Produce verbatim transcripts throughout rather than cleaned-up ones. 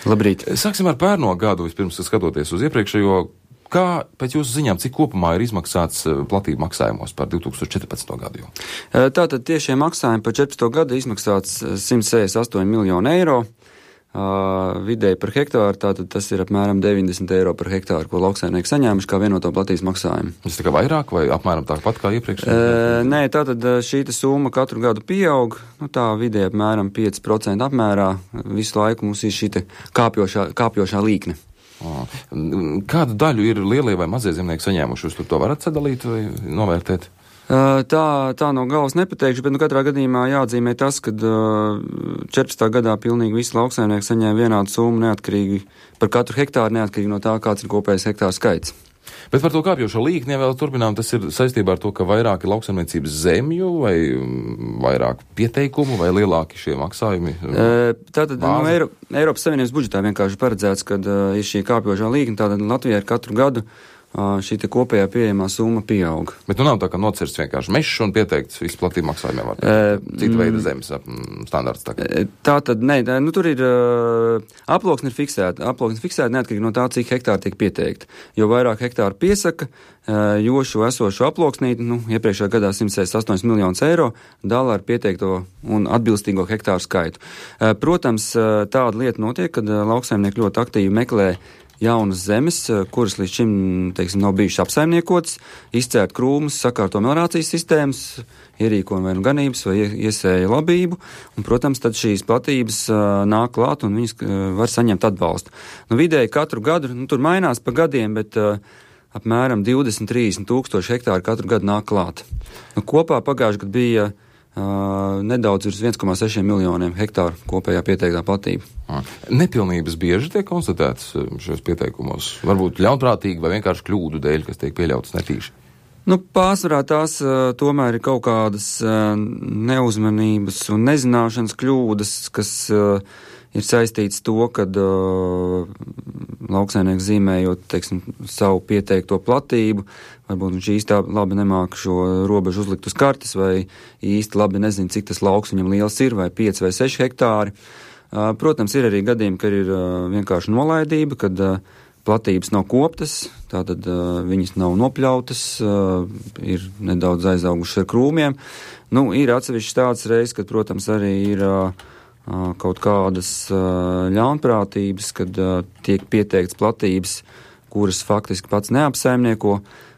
Labrīt. Sāksim ar pērno gadu, vispirms skatoties uz iepriekšējo. Kā pēc jūsu ziņām, cik kopumā ir izmaksāts platību maksājumos par divi tūkstoši četrpadsmito gadu? Jau? Tātad tiešie maksājumi par četrpadsmito gadu izmaksāts simt sešdesmit astoņi miljoni eiro. Uh, vidēji par hektāru, tātad tas ir apmēram deviņdesmit eiro par hektāru, ko lauksaimnieki saņēmuši kā vienoto platības maksājumu. Tas tā kā vairāk vai apmēram tāpat kā iepriekš? Uh, nē, tātad šī summa katru gadu pieaug, nu tā vidēji apmēram pieci procenti apmērā. Visu laiku mums ir šī kāpjošā, kāpjošā līkne. Kādu daļu ir lielie vai mazie zemnieki saņēmuši? Jūs tur to varat sadalīt vai novērtēt? Tā, tā no galvas nepateikšu, bet nu katrā gadījumā jāatzīmē tas, ka četrpadsmitā gadā pilnīgi visi lauksaimnieki saņēma vienādu summu neatkarīgi par katru hektāru, neatkarīgi no tā, kāds ir kopējais hektāru skaits. Bet par to kāpjošo līkni vēl turpinām, tas ir saistībā ar to, ka vairāk ir lauksaimniecības zemju vai vairāk pieteikumu vai lielāki šie maksājumi? Tātad no Eiro, Eiropas Savienības budžetā vienkārši paredzēts, kad ir šī kāpjošā līkni, tātad Latvijā ir katru gadu šī te kopējā pieejamā summa pieaug. Bet nu nav tā, ka nocirsts vienkārši mežs un pieteikts visu platību maksājumiem var teikt. Cita veida zemes standarts tagad. Tā tad, nē, nu tur ir aploksne ir fiksēta. Aploksne fiksēta neatkarīgi no tā, cik hektāri tiek pieteikti. Jo vairāk hektāru piesaka, jo šo esošu aploksnīti, nu, iepriekšējā gadā simt sešdesmit astoņi miljonus eiro dala ar pieteikto un atbilstīgo hektāru skaitu. Protams, tāda lieta notiek, kad lauksaimnieki ļoti aktīvi meklē jaunas zemes, kuras līdz šim, teiksim, nav bijušas apsaimniekotas, izcērt krūmus, sakārto meliorācijas sistēmas, ierīko vai nu ganības vai iesēja labību, un, protams, tad šīs platības uh, nāk klāt un viņas uh, var saņemt atbalstu. Nu, vidēji katru gadu, nu, tur mainās pa gadiem, bet uh, apmēram divdesmit trīsdesmit tūkstoši hektāri katru gadu nāk klāt. Nu, kopā pagājuši gadu bija Uh, nedaudz virs viens komā seši miljoniem hektāru kopējā pieteiktā platība. Nepilnības bieži tiek konstatētas šajos pieteikumos? Varbūt ļaunprātīgi vai vienkārši kļūdu dēļ, kas tiek pieļautas netīši? Nu, pārsvarā tās uh, tomēr ir kaut kādas uh, neuzmanības un nezināšanas kļūdas, kas uh, ir saistīts to, kad uh, lauksaimnieks zīmējot, teiksim, savu pieteikto platību, varbūt viņš īsti labi nemāka šo robežu uzlikt uz kartes, vai īsti labi nezina, cik tas lauks viņam liels ir, vai pieci vai seši hektāri. Uh, protams, ir arī gadījumi, kad ir uh, vienkārši nolaidība, kad uh, platības nav koptas, tātad uh, viņas nav nopļautas, uh, ir nedaudz aizaugušas ar krūmiem. Nu, ir atsevišķi tāds reizes, kad, protams, arī ir uh, kaut kādas uh, ļaunprātības, kad uh, tiek pieteikts platības, kuras faktiski pats neapsaimnieko,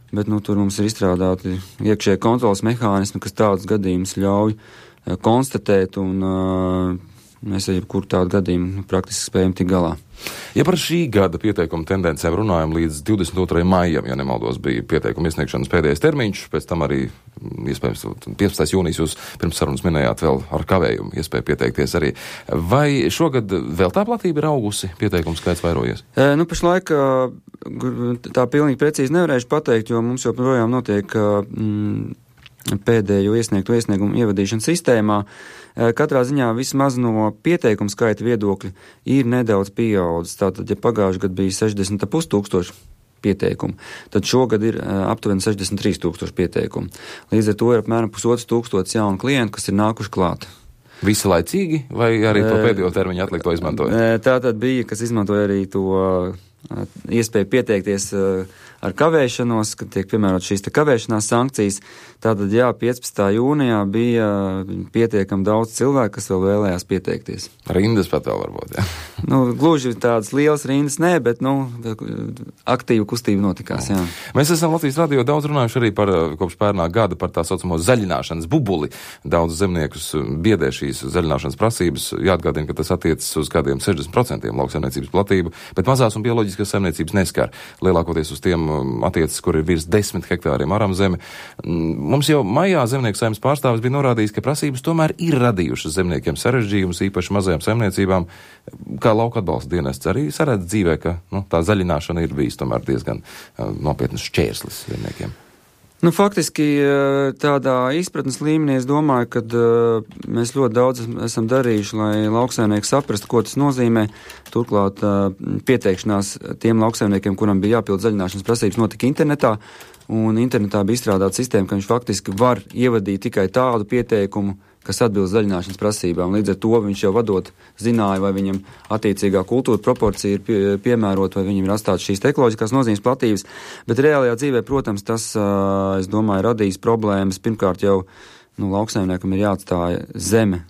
bet nu, tur mums ir izstrādāti iekšēji kontrolas mehānismi, kas tādus gadījumus ļauj uh, konstatēt, un uh, mēs ar jebkuru tādu gadījumu praktiski spējam tik galā. Ja par šī gada pieteikuma tendencēm runājam līdz divdesmit otrajam maijam, ja nemaldos, bija pieteikuma iesniegšanas pēdējais termiņš, pēc tam arī, iespējams, piecpadsmitais jūnijas jūs pirms sarunas minējāt vēl ar kavējumu iespēju pieteikties arī. Vai šogad vēl tā platība ir augusi, pieteikums skaits vairojies? E, nu, pašlaik tā pilnīgi precīzi nevarēšu pateikt, jo mums joprojām notiek mm, pēdējo iesniegto iesniegumu ievadīšanas sistēmā. Katrā ziņā vismaz no pieteikuma skaita viedokļa ir nedaudz pieaudzis. Tātad, ja pagājuši gadu bija sešdesmit ar pus tūkstoši pieteikumu, tad šogad ir aptuveni sešdesmit trīs tūkstoši pieteikumu. Līdz ar to ir apmēram pusotrs tūkstotis jaunu klientu, kas ir nākuši klāt. Visi laicīgi vai arī to pēdējo termiņu atlikto izmantoja? Tātad bija, kas izmantoja arī to iespēju pieteikties ar kavēšanos, kad tiek piemērot šīs te kavēšanās sankcijas. Tātad, jā, piecpadsmitā jūnijā bija pietiekami daudz cilvēku, kas vēl vēlējās pieteikties. Rindas pat vēl varbūt, jā. Nu, gluži tādas lielas rindas nē, bet, nu, aktīva kustība notikās, jā. Mēs esam Latvijas radio daudz runājuši arī par kopš pērnā gada par tā saucamo zaļināšanas bubuli. Daudz zemniekus biedē šīs zaļināšanas prasības. Jāatgādina, ka tas attiecas uz kādiem sešdesmit procentiem lauksaimniecības platību, bet mazās un bioloģiskas saimniecības neskar. Lielākoties uz tiem attiecas, kur ir virs desmit hektāriem aram zeme. Mums jau maijā zemnieku saimnes pārstāvis bija norādījis, ka prasības tomēr ir radījušas zemniekiem sarežģījumus, īpaši mazajām saimniecībām. Kā lauka atbalsta dienests arī saredz dzīvē, ka nu, tā zaļināšana ir bijis tomēr diezgan uh, nopietnas šķērslis zemniekiem. Nu, faktiski tādā izpratnes līmenī es domāju, ka uh, mēs ļoti daudz esam darījuši, lai lauksaimnieki saprastu, ko tas nozīmē. Turklāt uh, pieteikšanās tiem lauksaimniekiem, kuram bija jāpild zaļināšanas prasības, notika internetā, un internetā bija izstrādāta sistēma, ka viņš faktiski var ievadīt tikai tādu pieteikumu, kas atbilst zaļināšanas prasībām. Līdz ar to viņš jau vadot zināja, vai viņam attiecīgā kultūra proporcija ir pie, piemērota, vai viņam ir atstāts šīs ekoloģiskās nozīmes platības. Bet reālajā dzīvē, protams, tas, es domāju, radīs problēmas. Pirmkārt jau nu, lauksaimniekam ir jāatstāja zeme,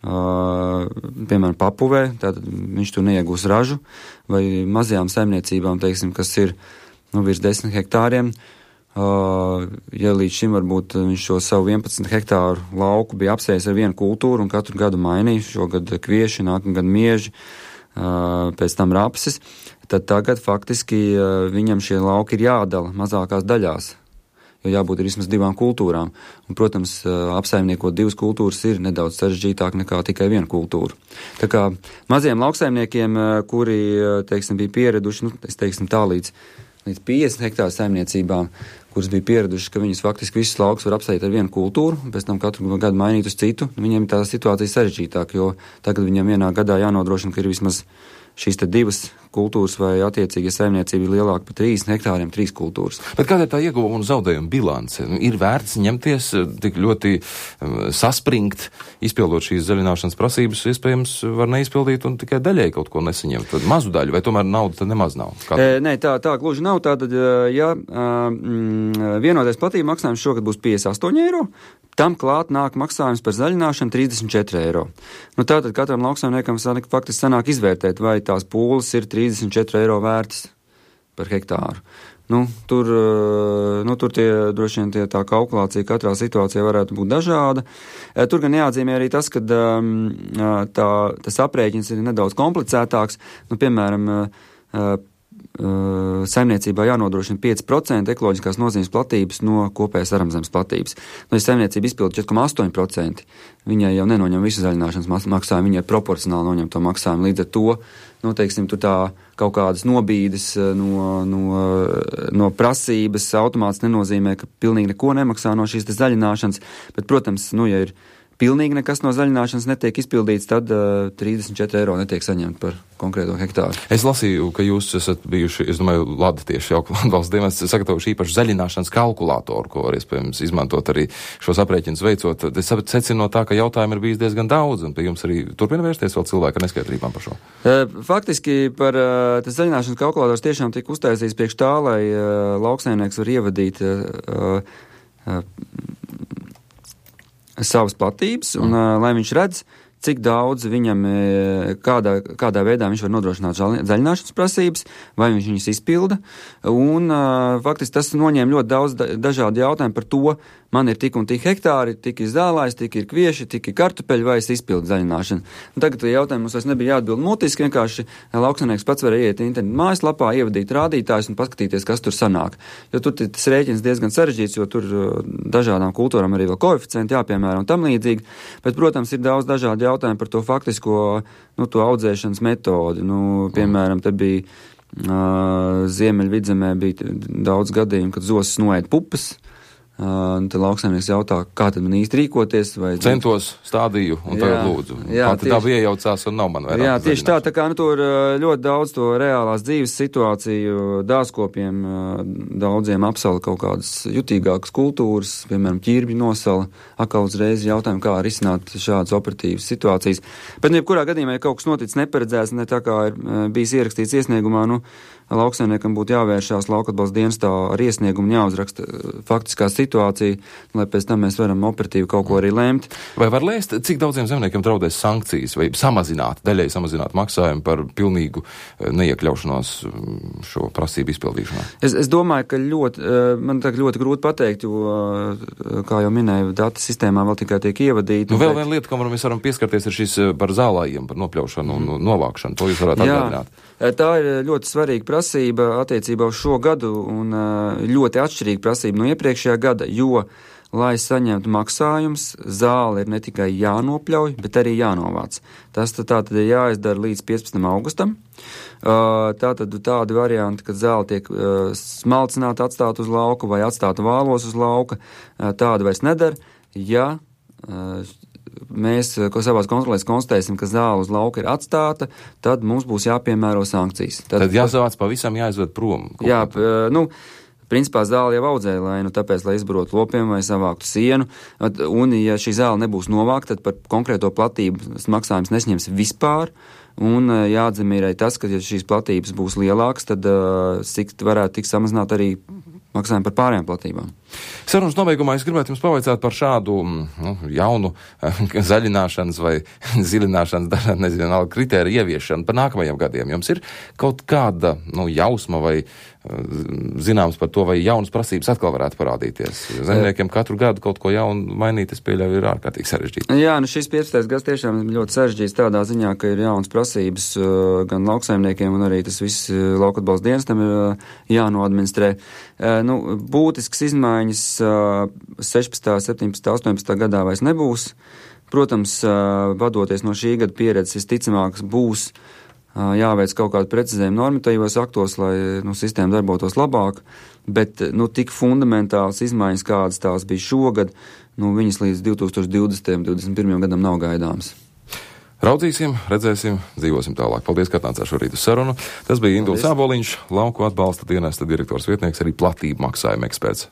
uh, piemēram, papuvē, tātad viņš tur neiegūs ražu, vai mazajām saimniecībām, teiksim, kas ir nu, virs desmit hektāriem. Uh, ja līdz šim varbūt viņš šo savu vienpadsmit hektāru lauku bija apsējis ar vienu kultūru un katru gadu mainīja, šogad kvieši, nākamgad mieži, uh, pēc tam rapsis, tad tagad faktiski uh, viņam šie lauki ir jādala mazākās daļās, jo jābūt ir vismaz divām kultūrām. Un, protams, uh, apsaimniekot divas kultūras ir nedaudz sarežģītāk nekā tikai vienu kultūru. Tā kā maziem lauksaimniekiem, uh, kuri, uh, teiksim, bija pieraduši, nu, es teiksim tā līdz līdz piecdesmit hektāru saimniecībām, kuras bija pieradušas, ka viņas faktiski visus laukus var apsēt ar vienu kultūru, un pēc tam katru gadu mainīt uz citu. Viņiem tā situācija sarežģītāk, jo tagad viņam vienā gadā jānodrošina, ka ir vismaz šīs te divas kultūras vai attiecīgi saimniecība ir lielāka par trīsdesmit hektāriem, trīs kultūras. Bet kāda ir tā ieguvuma un zaudējuma bilance? Ir vērts ņemties tik ļoti saspringt, izpildot šīs zaļināšanas prasības, iespējams var neizpildīt un tikai daļai kaut ko nesaņemt, tad mazu daļu, vai tomēr nauda tad nemaz nav? E, nē, tā, tā gluži nav. Tātad, ja mm, vienotais platība maksājums šogad būs piecdesmit astoņi eiro, tam klāt nāk maksājums par zaļināšanu trīsdesmit četri eiro. Nu, tātad katram lauksaimniekam faktiski sanāk izvērtēt, vai tās pūles ir trīsdesmit četri eiro vērtas par hektāru. Nu, tur, nu, tur tie, droši vien tie, tā kalkulācija katrā situācijā varētu būt dažāda. Tur gan jāatzīmē arī tas, ka tā, tas aprēķins ir nedaudz komplicētāks. Nu, piemēram, saimniecībā jānodrošina pieci procenti ekoloģiskās nozīmes platības no kopējās aramzemes platības. Nu, ja saimniecība izpilda četri komats astoņi procenti, viņai jau nenoņem visu zaļināšanas maksājumu, viņai proporcionāli noņem to maksājumu. Līdz ar to, nu, teiksim, tur tā kaut kādas nobīdes no, no, no prasības automāts nenozīmē, ka pilnīgi neko nemaksā no šīs zaļināšanas, bet, protams, nu, ja ir pilnīgi nekas no zaļināšanas netiek izpildīts, tad uh, trīsdesmit četri eiro netiek saņemt par konkrēto hektāru. Es lasīju, ka jūs esat bijuši, es domāju, Lada tieši jau valsts dienas sagatavojuši īpašu zaļināšanas kalkulātoru, ko var iespējams izmantot arī šos aprēķinus veicot. Es secinu no tā, ka jautājumu ir bijis diezgan daudz, un pie jums arī turpina vērsties vēl cilvēki ar neskaidrībām par šo. Faktiski par uh, tas zaļināšanas kalkulators tiešām tika uztaisīts priekš tā, lai uh, lauksaimnieks var ievadīt uh, uh, savas platības, un uh, lai viņš redz, cik daudz viņam, kādā, kādā veidā viņš var nodrošināt zaļināšanas prasības, vai viņš viņas izpilda, un uh, faktiski tas noņēma ļoti daudz da- dažādu jautājumu par to, man ir tik un tik hektāri, tik ir zālājs, tik ir kvieši, tik ir kartupeļi, vai es izpildu zaļināšanu. Un tagad jautājumu mums vairs nebija jāatbild mutiski, vienkārši lauksaimnieks pats varēja iet internetu mājaslapā, ievadīt rādītājus un paskatīties, kas tur sanāk. Jo tur tas rēķins diezgan sarežģīts, jo tur dažādām kultūrām arī vēl koeficienti jāpiemēra un tam līdzīgi, bet, protams, ir daudz dažādu jautājumu par to faktisko, nu, to audzēšanas metodi. Nu, piemēram, te bija uh, Ziemeļvidzemē bija daudz gadījumu, kad zosis noēd pupas. Uh, tad lauksaimnieks jautā, kā tad man īsti rīkoties. Vai... Centos, stādīju un jā, tagad lūdzu. Jā, Pati daba iejaucās un nav man vairāk. Jā, tieši tā, tā kā nu, tur ļoti daudz to reālās dzīves situāciju, dārzkopiem daudziem apsala kaut kādas jutīgākas kultūras, piemēram, ķirbļu nosala, atkal uzreiz jautājumu, kā risināt šādas operatīvas situācijas. Bet, nu, jebkurā gadījumā, ja kaut kas noticis neparedzēts, ne tā kā ir bijis ierakstīts iesniegumā, nu, lauksaimniekam būtu jāvēršās lauka atbalsta dienestā ar iesniegumu, jāuzraksta faktiskā situācija, lai pēc tam mēs varam operatīvi kaut ko arī lēmt. Vai var lēst, cik daudziem zemniekiem draudēs sankcijas vai samazināt, daļai samazināt maksājumu par pilnīgu neiekļaušanos šo prasību izpildīšanā? Es, es domāju, ka ļoti, man tā ļoti grūti pateikt, jo, kā jau minēju, dati sistēmā vēl tikai tiek ievadīti. Nu, vēl viena lieta, kam mēs varam pieskarties, ir šis par zālājiem, par nopļaušanu un mm. novākšanu. To jūs varētu atgādināt. Tā ir ļoti svarīga prasība attiecībā uz šo gadu un ļoti atšķirīga prasība no iepriekšējā gada, jo, lai saņemtu maksājums, zāle ir ne tikai jānopļauj, bet arī jānovāc. Tas tātad ir jāizdara līdz piecpadsmitam augustam. Tātad tādi varianti, kad zāle tiek smalcināta, atstāta uz lauka vai atstāta vālos uz lauka, tāda vairs nedara, ja mēs, ko savās kontrolēs konstatēsim, ka zāle uz lauka ir atstāta, tad mums būs jāpiemēro sankcijas. Tad, tad jāsavāc pavisam jāizved prom. Jā, nu, principā zāle jau audzēja lainu, tāpēc, lai izbarotu lopiem vai savāktu sienu, un ja šī zāle nebūs novākta, tad par konkrēto platību maksājums nesņems vispār, un jāatzīmē tas, ka ja šīs platības būs lielākas, tad uh, sikt varētu tikt samazināt arī maksājumu par pārējām platībām. Sarunas nobeigumā es gribētu jums pavaicāt par šādu nu, jaunu zaļināšanas vai zilināšanas, dažādi nezinu, kritēriju ieviešanu par nākamajiem gadiem. Jums ir kaut kāda nu, jausma vai zināms par to, vai jaunas prasības atkal varētu parādīties? Zemniekiem katru gadu kaut ko jaunu mainīt, es pieļauju, ir ārkārtīgi sarežģīti. Jā, nu šis piecpadsmitais gads tiešām ir ļoti sarežģīts tādā ziņā, ka ir jaunas prasības gan lauksaimniekiem, un arī tas viss lauka atbalsta dienestam ir jānoadministrē. Nu, būtisks izmaiņas sešpadsmitā, septiņpadsmitā, astoņpadsmitā gadā vairs nebūs. Protams, vadoties no šī gada pieredzes, visticamāks būs jāveic kaut kādu precizējumu normatīvos aktos, lai nu, sistēma darbotos labāk, bet nu, tik fundamentāls izmaiņas, kādas tās bija šogad, nu, viņas līdz divtūkstoš divdesmitajam, divdesmit pirmajam gadam nav gaidāmas. Raudzīsim, redzēsim, dzīvosim tālāk. Paldies, ka atnācāt šorīt uz sarunu. Tas bija Induls Āboliņš, lauku atbalsta dienesta direktors vietnieks, arī platību maksājuma eksperts.